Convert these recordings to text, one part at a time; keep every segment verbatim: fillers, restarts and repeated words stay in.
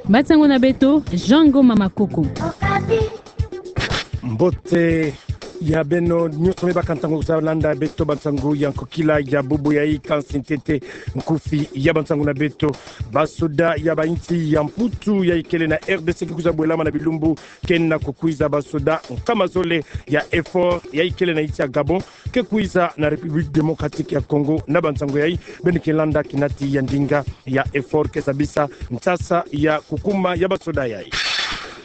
Bansangu na beto, Jean Ngoma Makoko. Mbote ya beno nyonso me baka ntangu za landa beto bansangu ya nkokila ya bubu yayi. Kansi ntete nkufi ya bansangu na beto. Basoda ya ba insi ya Mputu ya ikele na R D C ke kwiza bwelama na bilumbu ke na kukwiza. Basoda nkama zole ya EUFOR ya ikele na insi ya Gabon ke kwiza na République Démocratique ya Congo. Na bansangu yayi beno ke landa kinati ya ndinga ya EUFOR ke zabisa nsasa ya kukuma ya basoda yayi.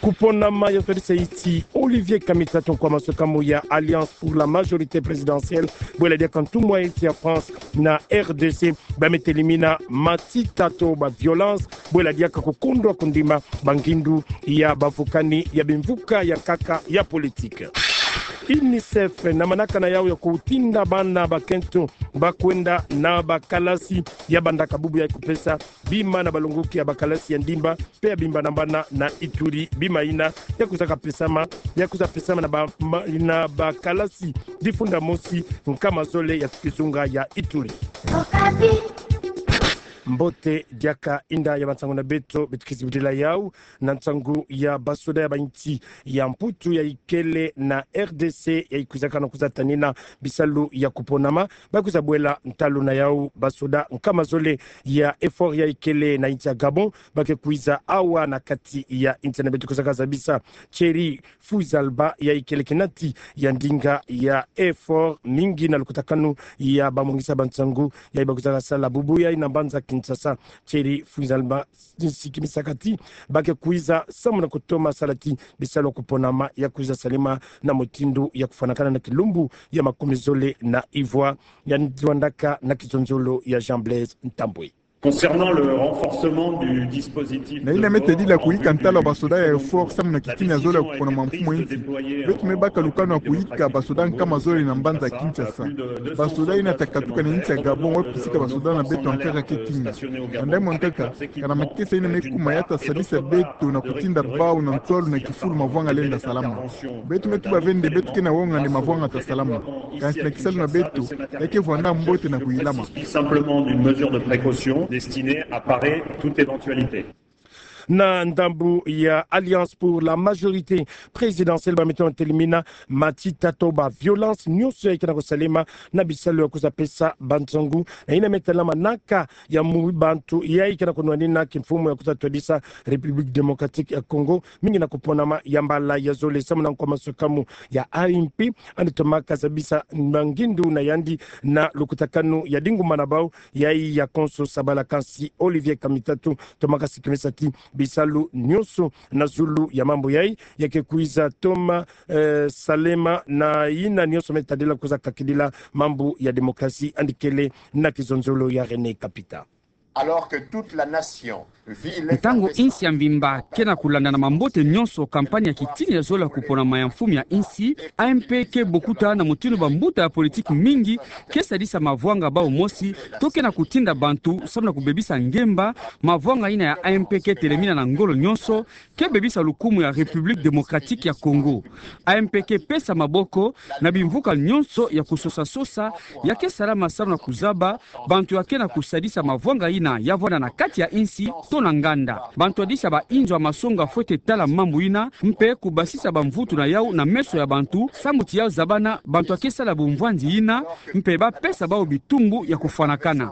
Kuponama ya twadisa insi Olivier Kamitatu nkwa masukamu ya Alliance pour la majorité présidentielle, bwela diaka ntumwa ya insi ya France na R D C, ba me telimina matita to ba violence, bwela diaka kukondwa kundima ba ngindu ya bavukani ya bimvuka ya nkaka ya politique. UNICEF na manaka na yawu ya kutinda bana bakento ba kwenda na bakalasi ya bandaka bubu ya kupesa bima na balongoki ya bakalasi ya ndimba, mpe ya bimba na bana na Ituri, bima ina ya kwiza kapesama, ya kwiza pesama na ba, ma, na bakalasi difunda mosi nkama zole ya kizunga ya Ituri. Mbote diaka inda ya bansangu na beto, beto ke zibudila yawu na nsangu ya basoda ya ba insi ya Mputu ya ikele na R D C ya ikwizaka na kwiza tanina bisalu ya kuponama. Ba kwiza bwela ntalu na yawu basoda nkama zole ya EUFOR ya ikele na insi ya Gabon ba ke kwiza awa na kati ya insi na beto. Kwizaka zabisa Thierry Fouizalba ya ikele kinati ya ndinga ya EUFOR, mingi na lukutakanu ya bamongisa bansangu yayi ba kwizaka sala bubu yayi na mbanza Kinshasa. Thierry Fouizalba nsikimisaka ti ba ke kwiza samu na kutoma sala ti bisalu ya kuponama ya kwiza salema na mutindu ya kufwanakana na kilumbu ya makumi zole na ivwa. Ya nzwandaka na kizonzolo ya Jean Blaise Ntambwe. Concernant le renforcement du dispositif de... Na ina me tadila kuyika ntalu ya basoda ya EUFOR samu na kitini ya zole ya kuponama mfumu ya insi, beto me baka lukanu ya kuyika basoda nkama zole na mbanza Kinshasa. Basoda ina ta katuka na insi ya Gabon, wa pisika basoda na beto ya nkaka ke tinga. Banda mwa nkaka, kana makesa ina me kuma ya ta sadisa beto na kutinda bawu na ntwalu na kifulu mavwanga lenda salama. Beto me tuba ve nde beto ke na wonga nde mavwanga ta salama. Kansi na kisalu na beto, ya ke vwanda mbote na kuyilama. Il s'agit simplement d'une mesure de précaution destinée à parer toute éventualité. Na ndambu ya Alliance pour la majorité présidentielle, ba me toma telimina matita to ba violence nyonso yayi ke na kusalema na bisalu ya kwiza pesa bansangu, na ina me tala manaka ya mu bantu yayi ke na kunwanina kimfumu ya kwiza twadisa République Démocratique ya Congo, mingi na kuponama ya mbala ya zole. Samu na nkwa masukamu ya A M P, yandi tomaka zabisa mangindu na yandi na lukutakanu ya dinguma na bawu yayi ya konso sabala. Kansi Olivier Kamitatu tomaka sikimisa ti bisalu nyonso na zulu ya mambu yayi ya ke kwiza toma, eh, salema na ina nyonso me tadila kwiza kakidila mambu ya démocratie, yandi kele na kizonzolo ya René Kapita. Alors que toute la nation vit... Ntangu insi ya mvimba ke na kulanda na mambote nyonso campagne ya kitini ya zole ya kuponama ya mfumu ya insi, A M P ke bokuta na mutindu bambuta ya politique mingi ke sadisa mavwanga bawu mosi, to ke na kutinda bantu samu na kubebisa ngemba. Mavwanga ina ya A M P ke telemina na ngolo nyonso, ke bebisa lukumu ya République Démocratique ya Congo. A M P ke pesa maboko na bimvuka nyonso ya kusosa-sosa ya ke salama samu na kuzaba bantu ya ke na kusadisa mavwanga ina ya vwanda na kati ya insi to na nganda. Bantu yadisa bainzo ya masonga fwete tala mambu ina, mpe kubasisa bamvutu na yawu na meso ya bantu, samu ti ya zabana bantu ya ke sala bumvwanzi ina, mpe ba pesa bawu bitumbu ya kufwanakana.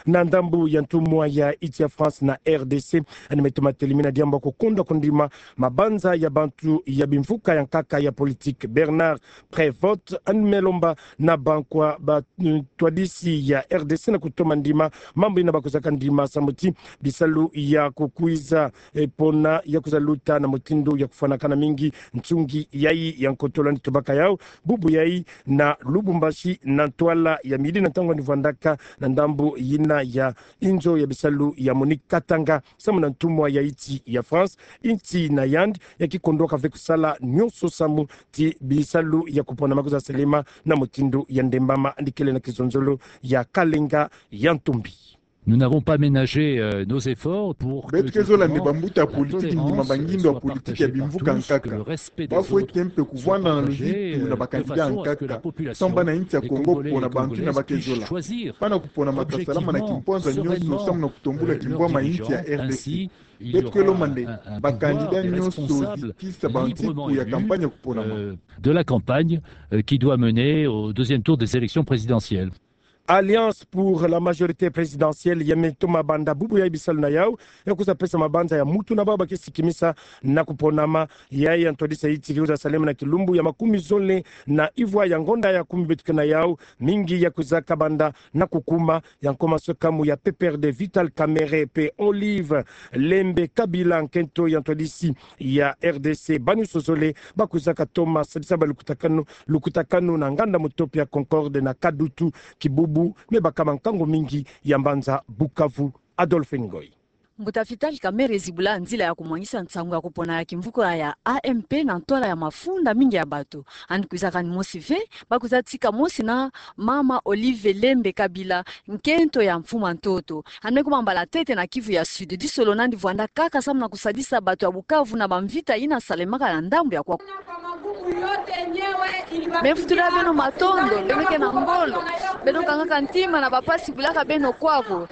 Na ndambu ya ntumwa ya insi ya France na R D C, yandi me toma telimina diambu ya kukondwa kundima mabanza ya bantu ya bimvuka ya nkaka ya politique, Bernard Prévot, yandi me lomba na bankwa ba, mm, twadisi ya R D C na kutoma ndima mambu ina ba kwizaka ndima samu ti bisalu ya kukwiza, eh, pona ya kwiza luta na mutindu ya kufwanakana mingi. Nsungi yayi ya nkotolo yandi tubaka yawu bubu yayi na Lubumbashi na ntwala ya midi na ntangu yandi vwandaka na ndambu yina ya inzo ya bisalu ya Monique Katanga, samu na ntumwa ya insi ya France. Insi na yandi ya ke kondwaka ve kusala nyonso samu ti bisalu ya kuponama kwiza salema na mutindu ya ndembama. Yandi kele na kizonzolo ya Kalenga ya Ntumbi. Nous n'avons pas ménagé, euh, nos efforts pour que, justement, la tolérance soit partagée, ainsi que le respect des autres, soit partagée, de façon à ce que la coopération, euh, se fasse, euh, de façon, euh, que la population, les Congolais et les Congolaises puissent choisir objectivement, sereinement leur dirigeant. Ainsi, il y aura un, un, un pouvoir, euh, responsable et librement élu, euh, de la campagne, euh, qui doit mener au deuxième tour des élections présidentielles. Alliance pour la majorité présidentielle, ya me toma banda bubu ya bisalu na yau, ya kwiza pesa mabanza ya mutu na bau ba ke sikimisa na kuponama, ya ya ntwadisa iti ke kwiza salema na kilumbu ya makumi zole na ivwa ya ngonda ya kumi beto ke na yau, mingi ya kwizaka banda na kukuma, ya nkoma soka mu ya P P R D Vital Kamerhe pe Olive Lembe Kabila, nkento ya ntwadisi ya R D C. Banyonso zole ba kwizaka toma sadisa ba lukutakanu, lukutakanu na nganda mutopi ya Concorde na Kadutu, kibubu me bakama nkangu mingi ya mbanza Bukavu. Adolphe Ngoy. Mbuta Vital Kamerhe zibula nzila ya kumwangisa nsangu ya kupona ya kimvuka ya A M P na ntwala ya mafunda mingi ya bato. Yandi kwizaka ni mosi ve, ba kwiza tika mosi na mama Olive Lembe Kabila, nkento ya mfuma ntoto. Yandi me kuma mbala ntete na Kivu ya Sud, disolo nandi vwanda kaka samu na kusadisa bato ya Bukavu na bamvita yina salemaka na ndambu ya kwaku. Me vutula beno matondo, beno ke na ngolo. Beno kangaka ntima na bapasi bulaka beno kwaku.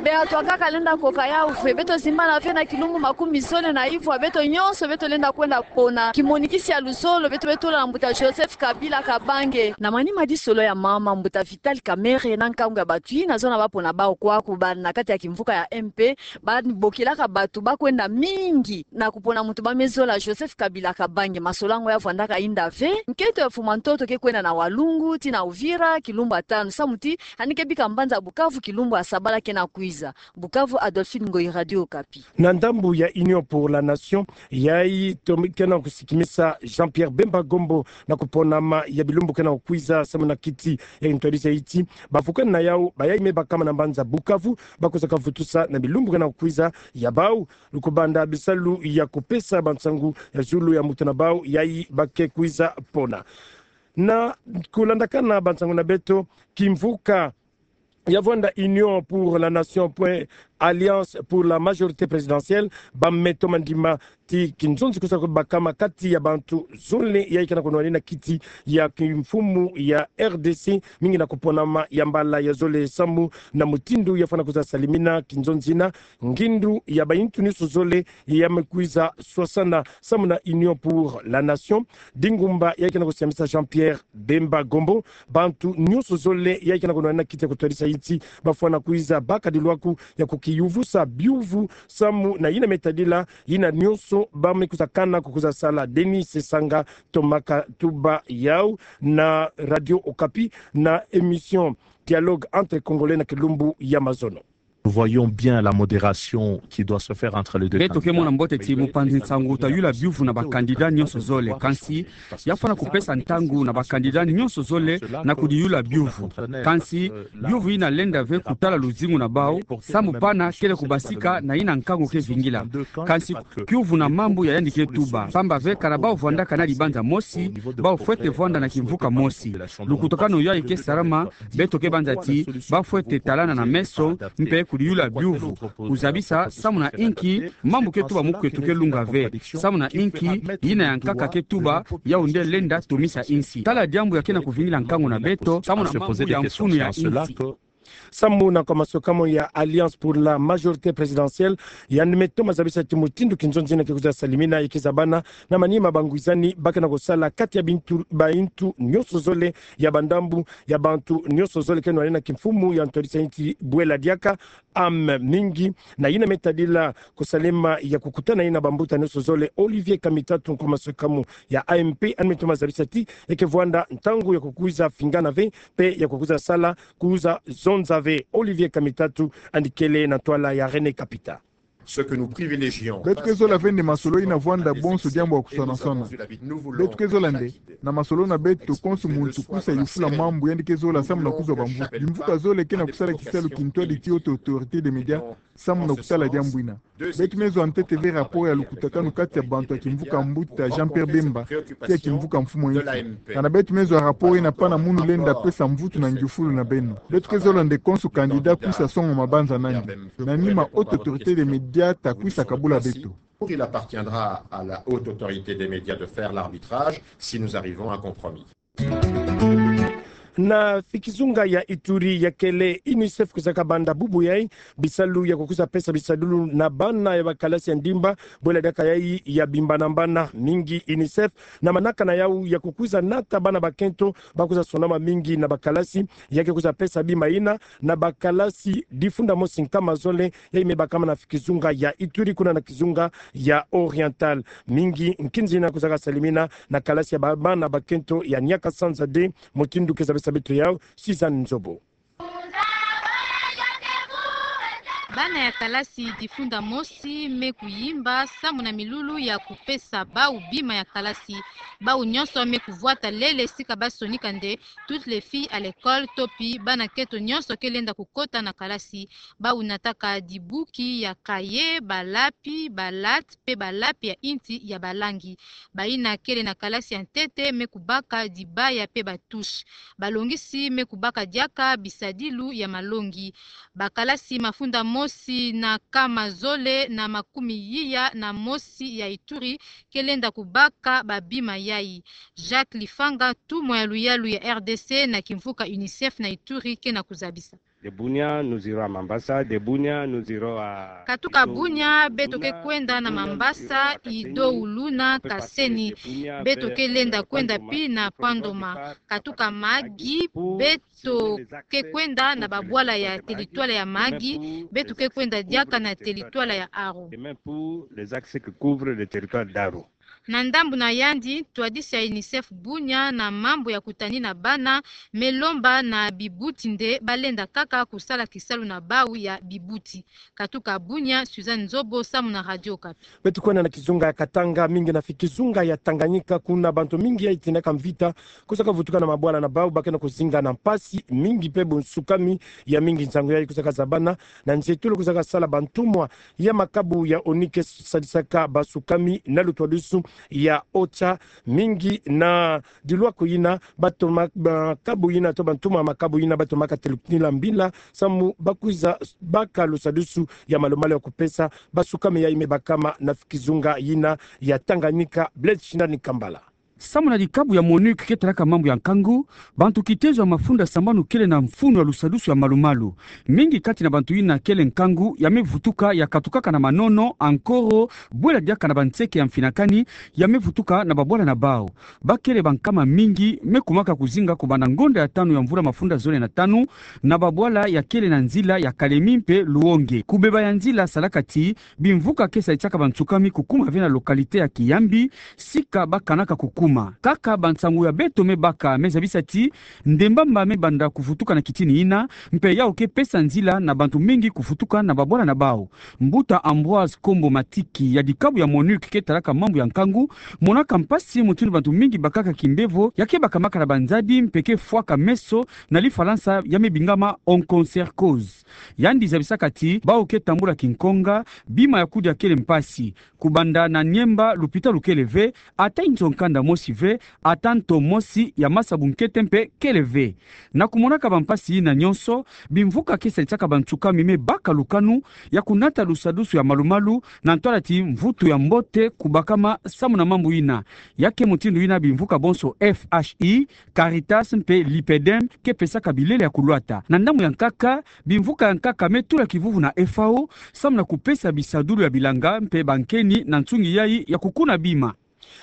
Beto kaka lenda koka yau ve, beto zimbana ve na kilumbu makumi zole na ivwa, beto nyonso beto lenda kwenda pona kimonikisi ya luzolo, beto, beto tula na mbuta Joseph Kabila Kabange. Na manima disolo ya mama, mbuta Vital Kamerhe na nkangu ya bato yina zona ba pona bau kwaku, ba na kati ya kimvuka ya M P, ba bokilaka bato ba kwenda mingi na kupona muntu ba me zola Joseph Kabila Kabange. Masolo yango ya vwandaka yinda ve. Nkento ya mfuma ntoto ke kwenda na Walungu tii na Uvira kilumbu ya tanu, samu ti yandi ke bika mbanza Bukavu kilumbu ya sabala ke na kwiza. Bukavu, Adolphine Ngoyi, Radio Okapi. Na ndambu ya Union pour la Nation, yayi to-, ke na kusikimisa Jean-Pierre Bemba Gombo na kuponama ya bilumbu ke na kwiza samu na kiti ya ntwadisa iti. Bavukani na yau, bayayi me bakama na mbanza Bukavu, ba kwizaka vutusa na bilumbu ke na kwiza ya bau, lukubanda bisalu ya kupesa bansangu ya zulu ya mutu na bau yayi ba ke kwiza pona. Na kulandakana bansangu na beto, kimvuka ya vwanda Union pour la Nation point Alliance pour la majorité présidentielle, ba me toma ndima ti kinzonzi kwiza kubakama kati ya bantu zole yayi ke na kunwanina kiti ya kimfumu ya R D C, mingi na kuponama ya mbala ya zole samu na mutindu ya fwana kwiza salimina kinzonzi yina, ngindu ya bayintu nyonso zole ya me kwiza swasana samu na Union pour la Nation. Dingumba yayi ke na kusiamisa Jean-Pierre Bemba Gombo, bantu nyonso zole yayi ke na kunwanina kiti ya kutwadisa iti, ba fwana kwiza baka dilwaku ya kukiyuvusa biuvu samu na yina me tadila yina nyonso ba me kwiza kana ku kwiza sala. Denis Sesanga tomaka tuba yau na Radio Okapi na émission Dialogue entre Congolais na kilumbu ya mazono. Nous voyons bien la modération qui doit se faire entre les deux candidats. Beto ke mona mbote ti mupanzi nsangu ta yula biuvu na bakandida nyonso zole, kansi ya fwana kupesa ntangu na bakandida nyonso zole na kudiyula biuvu. Kansi biuvu yina lenda ve kutala luzingu na bau, samu pana kele kubasika na yina nkangu ke vingila. Kansi kiuvu na mambu ya yandi ke tuba. Pamba ve kana bau vwandaka na dibanza mosi, bau fwete vwanda na kimvuka mosi. Lukutakanu yayi ke salama, beto ke banza ti ba fwete talana na meso, mpe kudiyula biuvu. Kuzabisa samu na inki mambu ke tuba mukwetu ke lunga ve. Samu na inki yina ya nkaka ke tuba, yau nde lenda tomisa insi. Tala diambu ya ke na kuvingila nkangu na beto, samu na mambu ya mfunu ya insi. Samu na nkoma soka mo ya Alliance pour la majorité présidentielle, yandi me toma zabisa ti mutindu kinzonzi yina ke kwiza salimina, ya ke zabana na manima bangwizani ba ke na kusala kati ya bintu, bayintu nyonso zole ya bandambu, ya bantu nyonso zole ke nwanina kimfumu ya ntwadisa iti bwela diaka, âme mingi, na yina me tadila kusalema ya kukutana yina bambuta nyonso zole. Olivier Kamitatu, nkoma soka mo ya A M P, yandi me toma zabisa ti ya ke vwanda ntangu ya kukwiza fingana ve, mpe ya kukwiza sala, kwiza zonza ve. Olivier Kamitatu, yandi kele na ntwala ya René Kapita. Ce que nous privilégions. Beto ke zola ve nde masolo ina vwanda bonso diambu ya kusonasona. Beto ke zola nde, na masolo na beto, konso muntu kwisa yufula mambu yandi ke zola samu na kuzwa bamvuka. Bimvuka zole ke na kusala kisalu kintwadi ti haute autorité des médias samu na kutala diambu ina. Beto me zwa ntete ve rapport ya lukutakanu kati ya bantu ya kimvuka mbuta Jean-Pierre Bemba, ti ya kimvuka mfumu a insi. Kana beto me zwa rapport ina pana munu lenda pesa mvutu na ngiufulu na beno. Beto ke zola nde konso candidat kwisa songa mabanza nandi. Na nima haute autorité des médias ta kwisa kabula beto. Il appartiendra à la haute autorité des médias de faire l'arbitrage si nous arrivons à un compromis. Na fikizunga ya Ituri ya kele UNICEF kwiza kabanda bubu yai bisalu ya kukwiza pesa bisadulu na bana ya bakalasi ya ndimba, bwela diaka yai ya bimbanambana mingi. UNICEF na manaka na yau ya kukwiza nata bana bakento bakwiza sonama mingi na bakalasi, ya ke kwiza pesa bima ina na bakalasi difunda mosi nkama zole, yai me bakama na fikizunga ya Ituri kuna na kizunga ya Oriental. Mingi nkinzi ina kwiza kasalimina na kalasi ya ba-, bana bakento ya Niakasanza deux, mutindu ke zabisa beto yau Suzanne Nzobo. Bana ya kalasi difunda mosi me kuyimba samu na milulu ya kupesa bau bima ya kalasi. Bau nyonso me kuvwata lele sika basonika nde toutes les filles à l'école, to pi bana kento nyonso ke lenda kukota na kalasi. Bau nataka dibuki ya cahier, balapi, balate, pe balapi ya inti ya balangi. Baina kele na kalasi ya ntete me kubaka dibaya pe batouche. Balongisi me kubaka diaka bisadilu ya malongi. Bakalasi mafunda mosi na nkama zole na makumi iya na mosi ya Ituri ke lenda kubaka babima yai. Jacques Lifanga, ntumwa ya luyalu ya R D C na kimvuka UNICEF na Ituri, ke na kuzabisa. De Bunia, nous irons à Mambasa. De Bunia, nous irons à... Katuka Bunia, beto ke kwenda na Mambasa, Ido, Uluna, Kaseni. Beto ke lenda kwenda pi na Pandoma. Katuka Magi, beto ke kwenda na babwala ya teritware ya Magi, beto ke kwenda diaka na teritware ya Aru. Et même pour les axes qui couvrent le territoire d'Aru. Na ndambu na yandi, ntwadisi ya UNICEF Bunia na mambu ya kutanina bana me lomba na bibuti nde balenda kaka kusala kisalu na bau ya bibuti. Katuka Bunia, Suzanne Nzobo, samu na Radio Okapi. Beto kwenda na kizunga ya Katanga, mingi na fikizunga ya Tanganyika, kuna bantu mingi yai tindaka mvita kwiza kavutuka na mabwala na bau, ba ke na kuzinga na mpasi mingi pe bonsukami ya mingi. Nsangu yai kwiza kazabana na nzietolo kwiza kasala bantumwa ya makabu ya ONU ke sadisaka basukami na lutwadusu ya OCHA, mingi na dilwako yina, bato ma-, makabu yina to bantumwa makabu yina batomaka telukinila mbila samu bakwiza baka lusadusu ya malumalu ya kupesa basukami yai me bakama na kizunga yina ya Tanganyika. Blaise Shindani Kambala. Samu na dikabu ya MONUC ke talaka mambu ya nkangu, bantu kitezo ya mafunda sambanu kele na mfunu ya lusadusu ya malumalu. Mingi kati na bantu yina kele nkangu ya me vutuka ya katukaka na manono, ankoro, bwela diaka na banseke ya mfinakani ya me vutuka na babwala na bau. Bakele bankama mingi me kumaka kuzinga kubanda ngonda ya tanu ya mvula mafunda zole na tanu na babwala ya kele na nzila ya Kalemi mpe Luonge. Kubeba ya nzila salaka ti bimvuka ke salisaka bansukami kukuma ve na localité ya Kiyambi, sika bakanaka kukuma. Kaka bansangu ya beto me baka me zabisa ti ndembamba me banda kuvutuka na kitini yina, mpe yau ke pesa nzila na bantu mingi kuvutuka na babwala na bau. Mbuta Ambroise Kombo Matiki ya dikabu ya MONUC ke talaka mambu ya nkangu monaka mpasi mutindu bantu mingi bakaka kimbevo ya ke bakamaka na banzadi mpe ke fwaka meso, na lifalansa ya me bingama onchocercose. Yandi zabisaka ti bau ke tambula kinkonga, bima ya kudia kele mpasi. Kubanda na Niemba lupitalu kele ve, ata inzo nkanda mosi ve, ata nto mosi ya masabu nkete mpe kele ve. Na kumonaka bampasi yina nyonso, bimvuka ke salisaka bansukami me baka lukanu ya kunata lusadusu ya malumalu, na ntwala ti mvutu ya mbote kubakama samu na mambu yina. Ya ke mutindu yina bimvuka bonso F H I, Caritas mpe l'IPEDEM ke pesaka bilele ya kulwata. Na ndambu ya nkaka, bimvuka ya nkaka me tula kivuvu na F A O samu na kupesa bisadulu ya bilanga mpe bankeni na nsungi yai ya kukuna bima.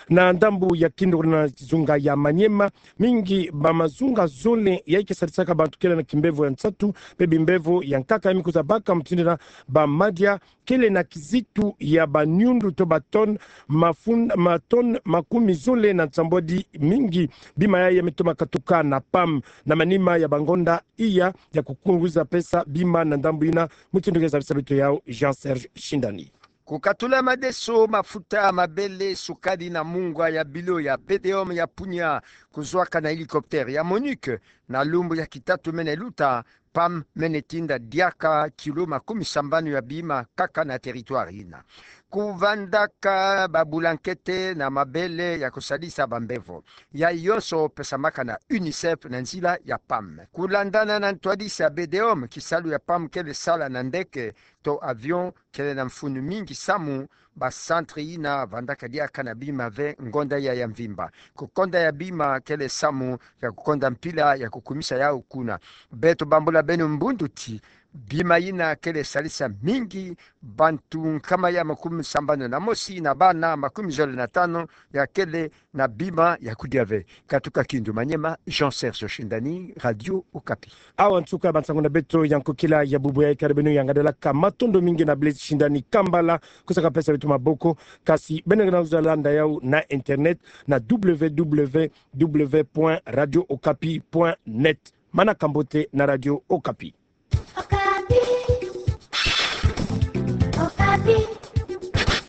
Na ndambu ya kindo na kizunga ya Maniema, mingi bamazunga zole yai ke salisaka bantu kele na kimbevo ya nsatu mpe bimbevo ya nkaka yai me kwiza baka mutindu yina bamadia kele na kizitu ya baniundu to batonne mafun-, matonne makumi zole na nsambwadi mingi. Bima yai ya me toma katuka na PAM na manima ya bangonda iya ya kukunguza pesa bima na ndambu yina, mutindu ke zabisa beto yau Jean Serge Shindani. Ku katula madeso, mafuta, mabele, sukali na mungwa ya bilo ya BDEOM ya Punia, kuzuaka na hélicoptère ya MONUC, na lumbu ya kitatumene luta, PAM mene tinda diaka kilo makumi sambanu ya bima kaka na territoire ina. Kuvandaka babulankete na mabele ya kusadisa bambevo. Yayi yonso pesamaka na UNICEF na nzila ya PAM. Kulandana na ntwadisi ya BDEOM, kisalu ya PAM kele sala na ndeke to avion, kele na mfunu mingi samu ba centre ina vandaka diaka na bima ve ngonda ya ya mvimba. Kukonda ya bima kele samu ya kukonda mpila ya kukumisa yau kuna. Beto bambula beno mbundu ti bima ina kele salisa mingi bantu nkama ya makumi sambanu na mosi na bana makumi zole na tano ya kele na bima ya kudia ve. Katuka Kindu Maniema, Jean Serge Oshindani, Radio Okapi. Awa nsuka ya bansangu na beto ya nkokila ya bubu ya, ikari beno ya ngadalaka, matondo mingi na bele shindani kambala, kusa kapesa beto maboko, kasi beno ngana kuzolanda yau na internet na www point radio okapi point net. Manaka mbote na Radio Okapi. Okapi. Okapi.